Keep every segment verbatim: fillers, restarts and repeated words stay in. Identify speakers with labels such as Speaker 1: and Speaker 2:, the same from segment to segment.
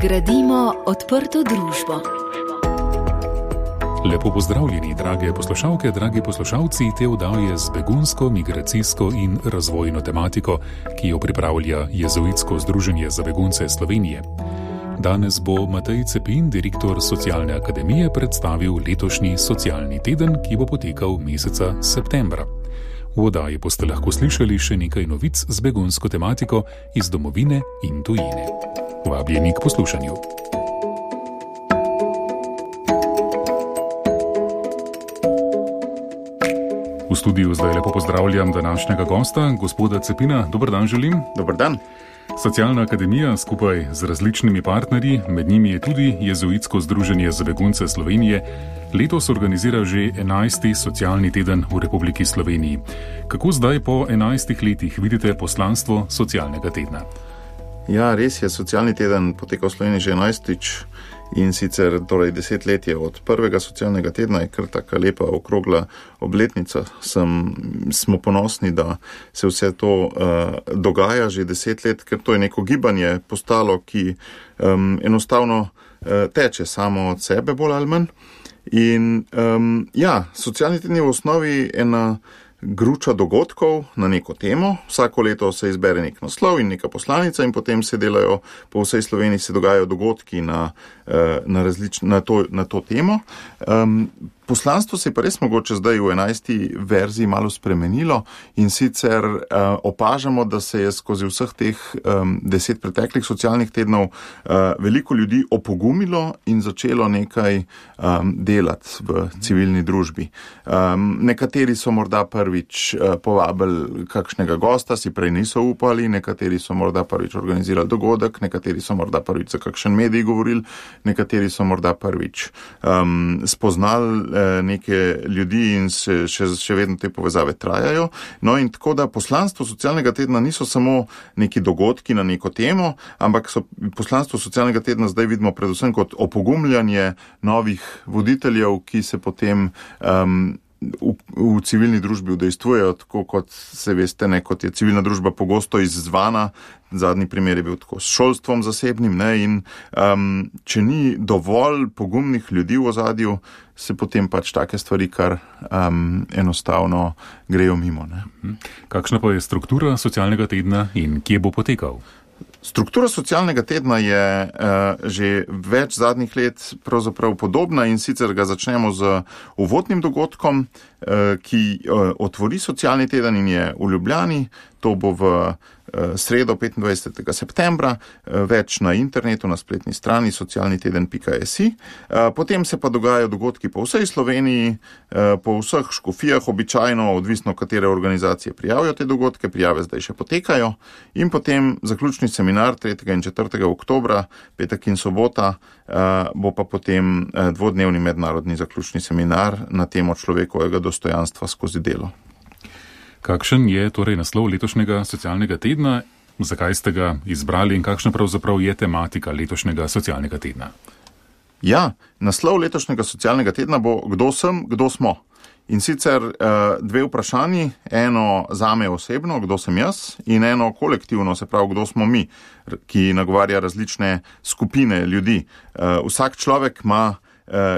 Speaker 1: Gradimo odprto družbo.
Speaker 2: Lepo pozdravljeni, drage poslušalke, dragi poslušalci te oddaje z begunsko, migracijsko in razvojno tematiko, ki jo pripravlja Jezuitsko združenje za begunce Slovenije. Danes bo Matej Cepin, direktor Socialne akademije, predstavil letošnji socialni teden, ki bo potekal meseca septembra. V oddaji boste lahko slišali še nekaj novic z begunsko tematiko iz domovine in tujine. Vabljeni k poslušanju. V studiu zdaj lepo pozdravljam današnjega gosta, gospoda Cepina. Dober dan želim.
Speaker 3: Dober dan.
Speaker 2: Socialna akademija skupaj z različnimi partnerji, med njimi je tudi Jezuitsko združenje za begunce Slovenije, letos organizira že enajsti socialni teden v Republiki Sloveniji. Kako zdaj po enajstih letih vidite poslanstvo socialnega tedna?
Speaker 3: Ja, res je, socialni teden poteka v Sloveniji že enajstič in sicer torej deset let je od prvega socialnega tedna, je kar taka lepa okrogla obletnica. Sem, smo ponosni, da se vse to uh, dogaja že deset let, ker to je neko gibanje postalo, ki um, enostavno uh, teče samo od sebe bolj ali manj. In um, ja, socialni teden je v osnovi ena gruča dogodkov na neko temo. Vsako leto se izbere nek naslov in neka poslanica in potem se delajo, po vsej Sloveniji se dogajajo dogodki na, na, različ, na, to, na to temo. Um, Poslanstvo se je pa res mogoče zdaj v enajsti verziji malo spremenilo in sicer uh, opažamo, da se je skozi vseh teh um, deset preteklih socialnih tednov uh, veliko ljudi opogumilo in začelo nekaj um, delati v civilni družbi. Um, nekateri so morda prvič uh, povabili kakšnega gosta, si prej niso upali, nekateri so morda prvič organizirali dogodek, nekateri so morda prvič za kakšen medij govorili, nekateri so morda prvič um, spoznali neke ljudi in se še, še vedno te povezave trajajo. No in tako da poslanstvo socialnega tedna niso samo neki dogodki na neko temo, ampak so poslanstvo socialnega tedna zdaj vidimo predvsem kot opogumljanje novih voditeljev, ki se potem um, v, v civilni družbi udejstvujejo, tako kot se veste, ne, kot je civilna družba pogosto izzvana. Zadnji primer je bil tako s šolstvom zasebnim, ne, in um, če ni dovolj pogumnih ljudi v ozadju, se potem pač take stvari kar um, enostavno grejo mimo. Ne.
Speaker 2: Kakšna pa je struktura socialnega tedna in kje bo potekal?
Speaker 3: Struktura socialnega tedna je uh, že več zadnjih let pravzaprav podobna in sicer ga začnemo z uvodnim dogodkom, uh, ki uh, otvori socialni teden in je v Ljubljani. To bo v sredo petindvajsetega septembra, več na internetu, na spletni strani socialni teden pika si. Potem se pa dogajajo dogodki po vsej Sloveniji, po vseh škofijah, običajno, odvisno katere organizacije prijavijo te dogodke, prijave zdaj še potekajo. In potem zaključni seminar tretjega in četrtega oktobra, petek in sobota, bo pa potem dvodnevni mednarodni zaključni seminar na temo človekovega dostojanstva skozi delo.
Speaker 2: Kakšen je torej naslov letošnjega socialnega tedna, zakaj ste ga izbrali in kakšna pravzaprav je tematika letošnjega socialnega tedna?
Speaker 3: Ja, naslov letošnjega socialnega tedna bo Kdo sem, kdo smo? In sicer dve vprašanji, eno zame osebno, kdo sem jaz, in eno kolektivno, se pravi, kdo smo mi, ki nagovarja različne skupine ljudi. Vsak človek ima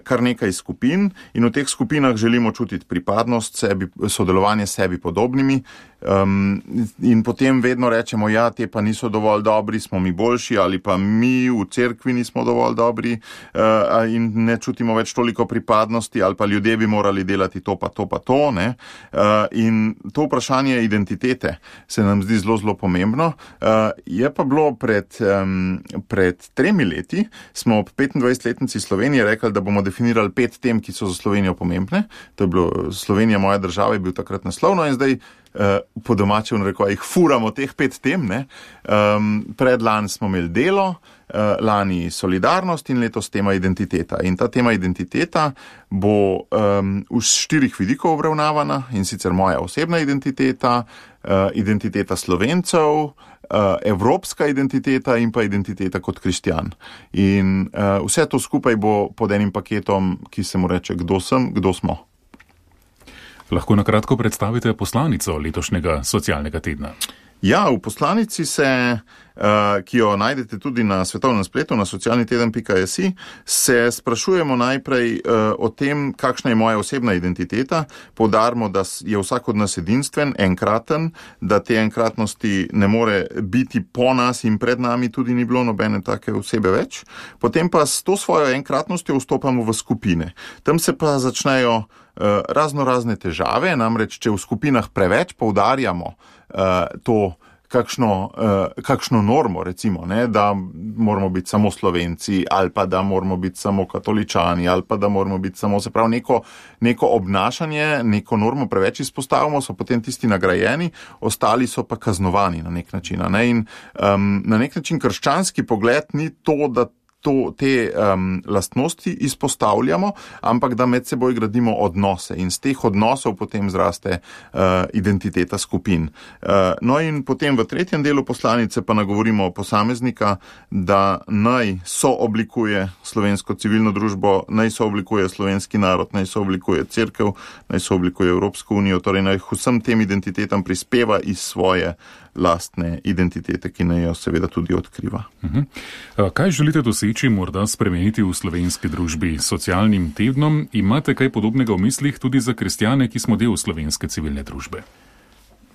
Speaker 3: kar nekaj skupin in v teh skupinah želimo čutiti pripadnost sebi, sodelovanje s sebi podobnimi. Um, in potem vedno rečemo, ja, te pa niso dovolj dobri, smo mi boljši, ali pa mi v cerkvi nismo dovolj dobri uh, in ne čutimo več toliko pripadnosti, ali pa ljudje bi morali delati to pa to pa to. Ne? Uh, in to vprašanje identitete se nam zdi zelo, zelo pomembno. Uh, je pa bilo pred, um, pred tremi leti, smo ob petindvajsetletnici Slovenije rekli, da bomo definirali pet tem, ki so za Slovenijo pomembne. To je bilo Slovenija, moja država, je bil takrat naslovno in zdaj Uh, po domače v narekovajih furamo teh pet tem. Ne? Um, predlani smo imeli delo, uh, lani solidarnost in letos tema identiteta. In ta tema identiteta bo um, v štirih vidikov obravnavana in sicer moja osebna identiteta, uh, identiteta Slovencev, uh, evropska identiteta in pa identiteta kot kristjan. In uh, vse to skupaj bo pod enim paketom, ki se mu reče Kdo sem, kdo smo.
Speaker 2: Lahko na kratko predstavite poslanico letošnjega socialnega tedna?
Speaker 3: Ja, v poslanici se, ki jo najdete tudi na svetovnem spletu, na socialni teden pika si, se sprašujemo najprej o tem, kakšna je moja osebna identiteta. Poudarimo, da je vsak od nas edinstven, enkraten, da te enkratnosti ne more biti po nas in pred nami, tudi ni bilo nobene take osebe več. Potem pa s to svojo enkratnostjo vstopamo v skupine. Tam se pa začnejo razno razne težave, namreč če v skupinah preveč poudarjamo to kakšno, kakšno normo, recimo, ne, da moramo biti samo Slovenci ali pa da moramo biti samo katoličani ali pa da moramo biti samo, se pravi, neko, neko obnašanje, neko normo preveč izpostavimo, so potem tisti nagrajeni, ostali so pa kaznovani na nek način. Ne, in um, na nek način krščanski pogled ni to, da To, te um, lastnosti izpostavljamo, ampak da med seboj gradimo odnose in z teh odnosov potem zraste uh, identiteta skupin. Uh, no in potem v tretjem delu poslanice pa nagovorimo posameznika, da naj sooblikuje slovensko civilno družbo, naj sooblikuje slovenski narod, naj sooblikuje cerkev, naj sooblikuje Evropsko unijo, torej naj vsem tem identitetam prispeva iz svoje lastne identitete, ki naj jo seveda tudi odkriva.
Speaker 2: Uh-huh. Kaj želite doseči, morda spremeniti v slovenski družbi s socialnim tednom? Imate kaj podobnega v mislih tudi za kristjane, ki smo del slovenske civilne družbe?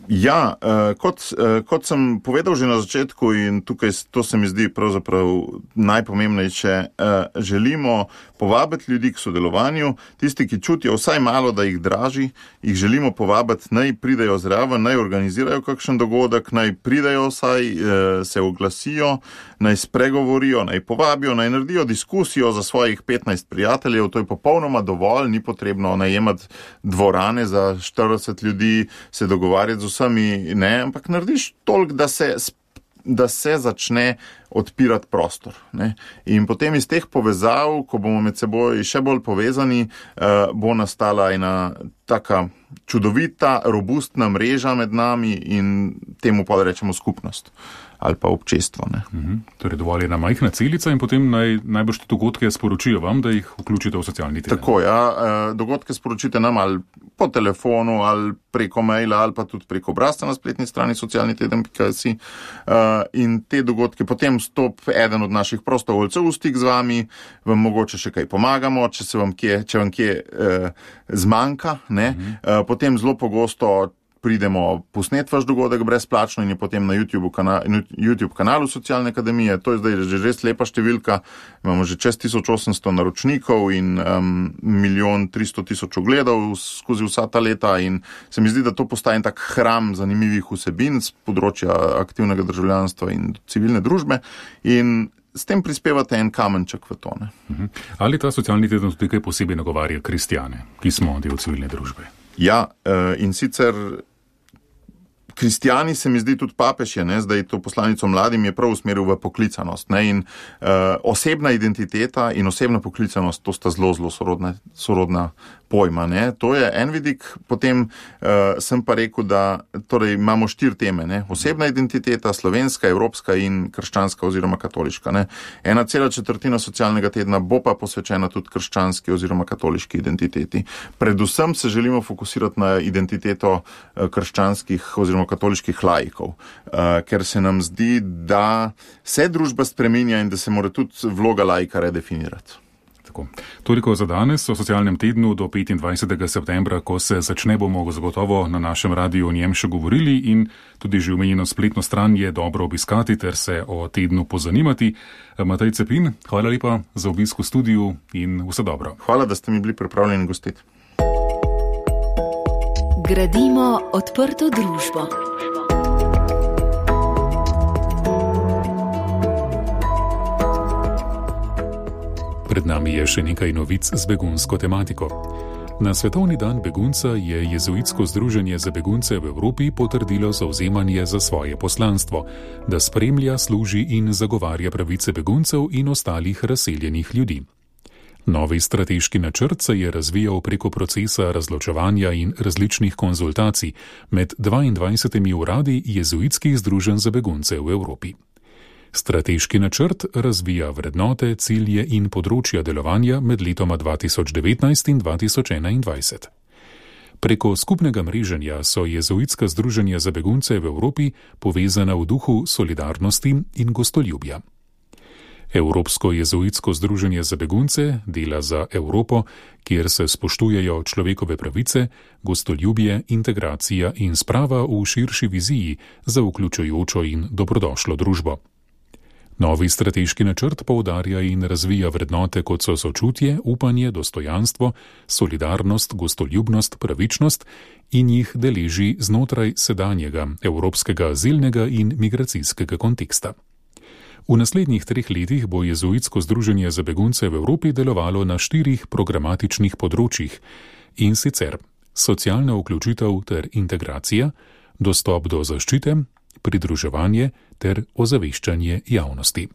Speaker 3: Ja, kot, kot sem povedal že na začetku in tukaj to se mi zdi pravzaprav najpomembnejše, želimo povabiti ljudi k sodelovanju, tisti, ki čutijo vsaj malo, da jih draži, jih želimo povabiti, naj pridejo zraven, naj organizirajo kakšen dogodek, naj pridejo vsaj, se oglasijo, naj spregovorijo, naj povabijo, naj naredijo diskusijo za svojih petnajst prijateljev, to je popolnoma dovolj, ni potrebno najemati dvorane za štirideset ljudi, se dogovarjati z vsemi, ne, ampak narediš toliko, da se, da se začne odpirati prostor. Ne. In potem iz teh povezav, ko bomo med seboj še bolj povezani, eh, bo nastala ena taka čudovita, robustna mreža med nami in temu pa rečemo skupnost ali pa občestvo. Ne.
Speaker 2: Mhm. Torej dovolj je ena majhna celica in potem naj, najbrž te dogodke sporočijo vam, da jih vključite v socialni teden.
Speaker 3: Tako, ja. Dogodke sporočite nam ali po telefonu, ali preko maila, ali pa tudi preko obrazca na spletni strani socialni teden pika si. In te dogodke potem stop eden od naših prostovoljcev v stik z vami, vam mogoče še kaj pomagamo, če se vam kje, če vam kje eh, zmanjka, ne. Mhm. Potem zelo pogosto pridemo posnet vaš dogodek brezplačno in je potem na YouTube, kana, YouTube kanalu Socialne akademije. To je zdaj že res lepa številka. Imamo že čez tisoč osemsto naročnikov in um, milijon tristo tisoč ogledov skozi vsa ta leta in se mi zdi, da to postaje tak hram zanimivih vsebin z področja aktivnega državljanstva in civilne družbe in s tem prispevate en kamenček v to. Ne?
Speaker 2: Ali ta socialni teden tudi kaj posebej nagovarja kristjane, ki smo del civilne družbe?
Speaker 3: Ja, in sicer kristjani, se mi zdi, tudi papež je, ne, zdaj to poslanico mladim je prav usmeril v poklicanost. Ne, in uh, osebna identiteta in osebna poklicanost, to sta zelo, zelo sorodna, sorodna pojma. Ne. To je en vidik, potem uh, sem pa rekel, da torej, imamo štiri teme. Ne. Osebna identiteta, slovenska, evropska in krščanska oziroma katoliška. Ne. Ena cela četrtina socialnega tedna bo pa posvečena tudi krščanski oziroma katoliški identiteti. Predvsem se želimo fokusirati na identiteto uh, krščanskih oziroma katoliških laikov, uh, ker se nam zdi, da se družba spreminja in da se mora tudi vloga laika redefinirati.
Speaker 2: Tako. Toliko za danes o socialnem tednu do petindvajsetega septembra, ko se začne, bomo zagotovo na našem radiju o njem še govorili in tudi že omenjeno spletno stran je dobro obiskati ter se o tednu pozanimati. Matej Cepin, hvala lepa za obisk v studiu in vse dobro.
Speaker 3: Hvala, da ste mi bili pripravljeni gostiti.
Speaker 1: Gradimo odprto družbo.
Speaker 2: Pred nami je še nekaj novic z begunsko tematiko. Na Svetovni dan begunca je Jezuitsko združenje za begunce v Evropi potrdilo zavzemanje za svoje poslanstvo, da spremlja, služi in zagovarja pravice beguncev in ostalih razseljenih ljudi. Novi strateški načrt se je razvijal preko procesa razločevanja in različnih konzultacij med dvaindvajsetimi uradi jezuitskih združenj za begunce v Evropi. Strateški načrt razvija vrednote, cilje in področja delovanja med letoma dva tisoč devetnajst in dva tisoč enaindvajset. Preko skupnega mreženja so jezuitska združenja za begunce v Evropi povezana v duhu solidarnosti in gostoljubja. Evropsko jezuitsko združenje za begunce dela za Evropo, kjer se spoštujejo človekove pravice, gostoljubje, integracija in sprava v širši viziji za vključujočo in dobrodošlo družbo. Novi strateški načrt poudarja in razvija vrednote, kot so sočutje, upanje, dostojanstvo, solidarnost, gostoljubnost, pravičnost in jih deleži znotraj sedanjega evropskega azilnega in migracijskega konteksta. V naslednjih treh letih bo jezuitsko združenje za begunce v Evropi delovalo na štirih programatičnih področjih, in sicer socialna vključitev ter integracija, dostop do zaščite, pridruževanje ter ozaveščanje javnosti.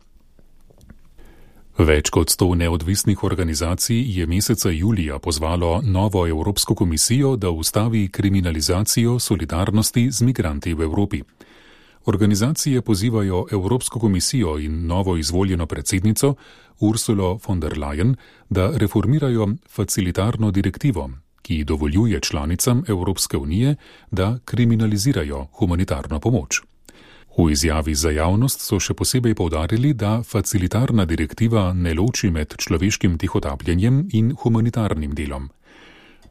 Speaker 2: Več kot sto neodvisnih organizacij je meseca julija pozvalo novo Evropsko komisijo, da ustavi kriminalizacijo solidarnosti z migranti v Evropi. Organizacije pozivajo Evropsko komisijo in novo izvoljeno predsednico Ursulo von der Leyen, da reformirajo facilitarno direktivo, ki dovoljuje članicam Evropske unije, da kriminalizirajo humanitarno pomoč. V izjavi za javnost so še posebej poudarili, da facilitarna direktiva ne loči med človeškim tihotapljenjem in humanitarnim delom.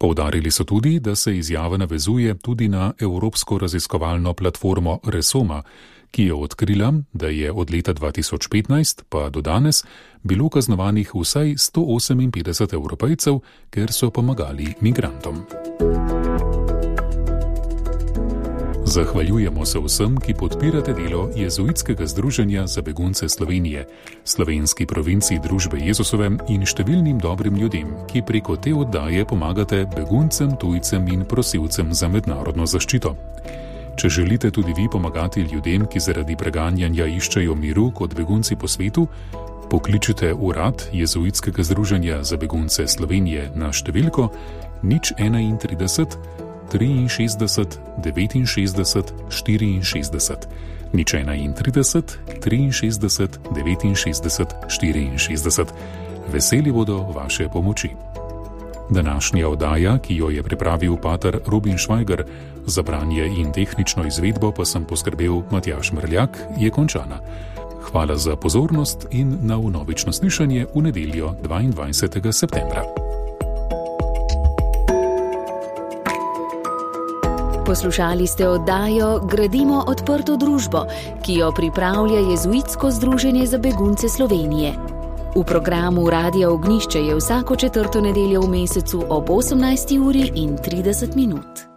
Speaker 2: Poudarili so tudi, da se izjava navezuje tudi na Evropsko raziskovalno platformo Resoma, ki je odkrila, da je od leta dva tisoč petnajst pa do danes bilo kaznovanih vsaj sto oseminpetdeset Evropejcev, ker so pomagali migrantom. Zahvaljujemo se vsem, ki podpirate delo Jezuitskega združenja za begunce Slovenije, slovenski provinciji Družbe Jezusove in številnim dobrim ljudem, ki preko te oddaje pomagate beguncem, tujcem in prosilcem za mednarodno zaščito. Če želite tudi vi pomagati ljudem, ki zaradi preganjanja iščejo miru kot begunci po svetu, pokličite urad Jezuitskega združenja za begunce Slovenije na številko nič enaintrideset triinšestdeset devetinšestdeset štiriinšestdeset, nič enaintrideset triinšestdeset devetinšestdeset štiriinšestdeset. Veseli bodo vaše pomoči. Današnja oddaja, ki jo je pripravil pater Robin Švajger, za branje in tehnično izvedbo pa sem poskrbel Matjaž Mrljak, je končana. Hvala za pozornost in na vnovično slišanje v nedeljo dvaindvajsetega septembra.
Speaker 1: Poslušali ste oddajo Gradimo odprto družbo, ki jo pripravlja Jezuitsko združenje za begunce Slovenije. V programu Radia Ognjišče je vsako četrto nedeljo v mesecu ob osemnajsti uri in trideset minut.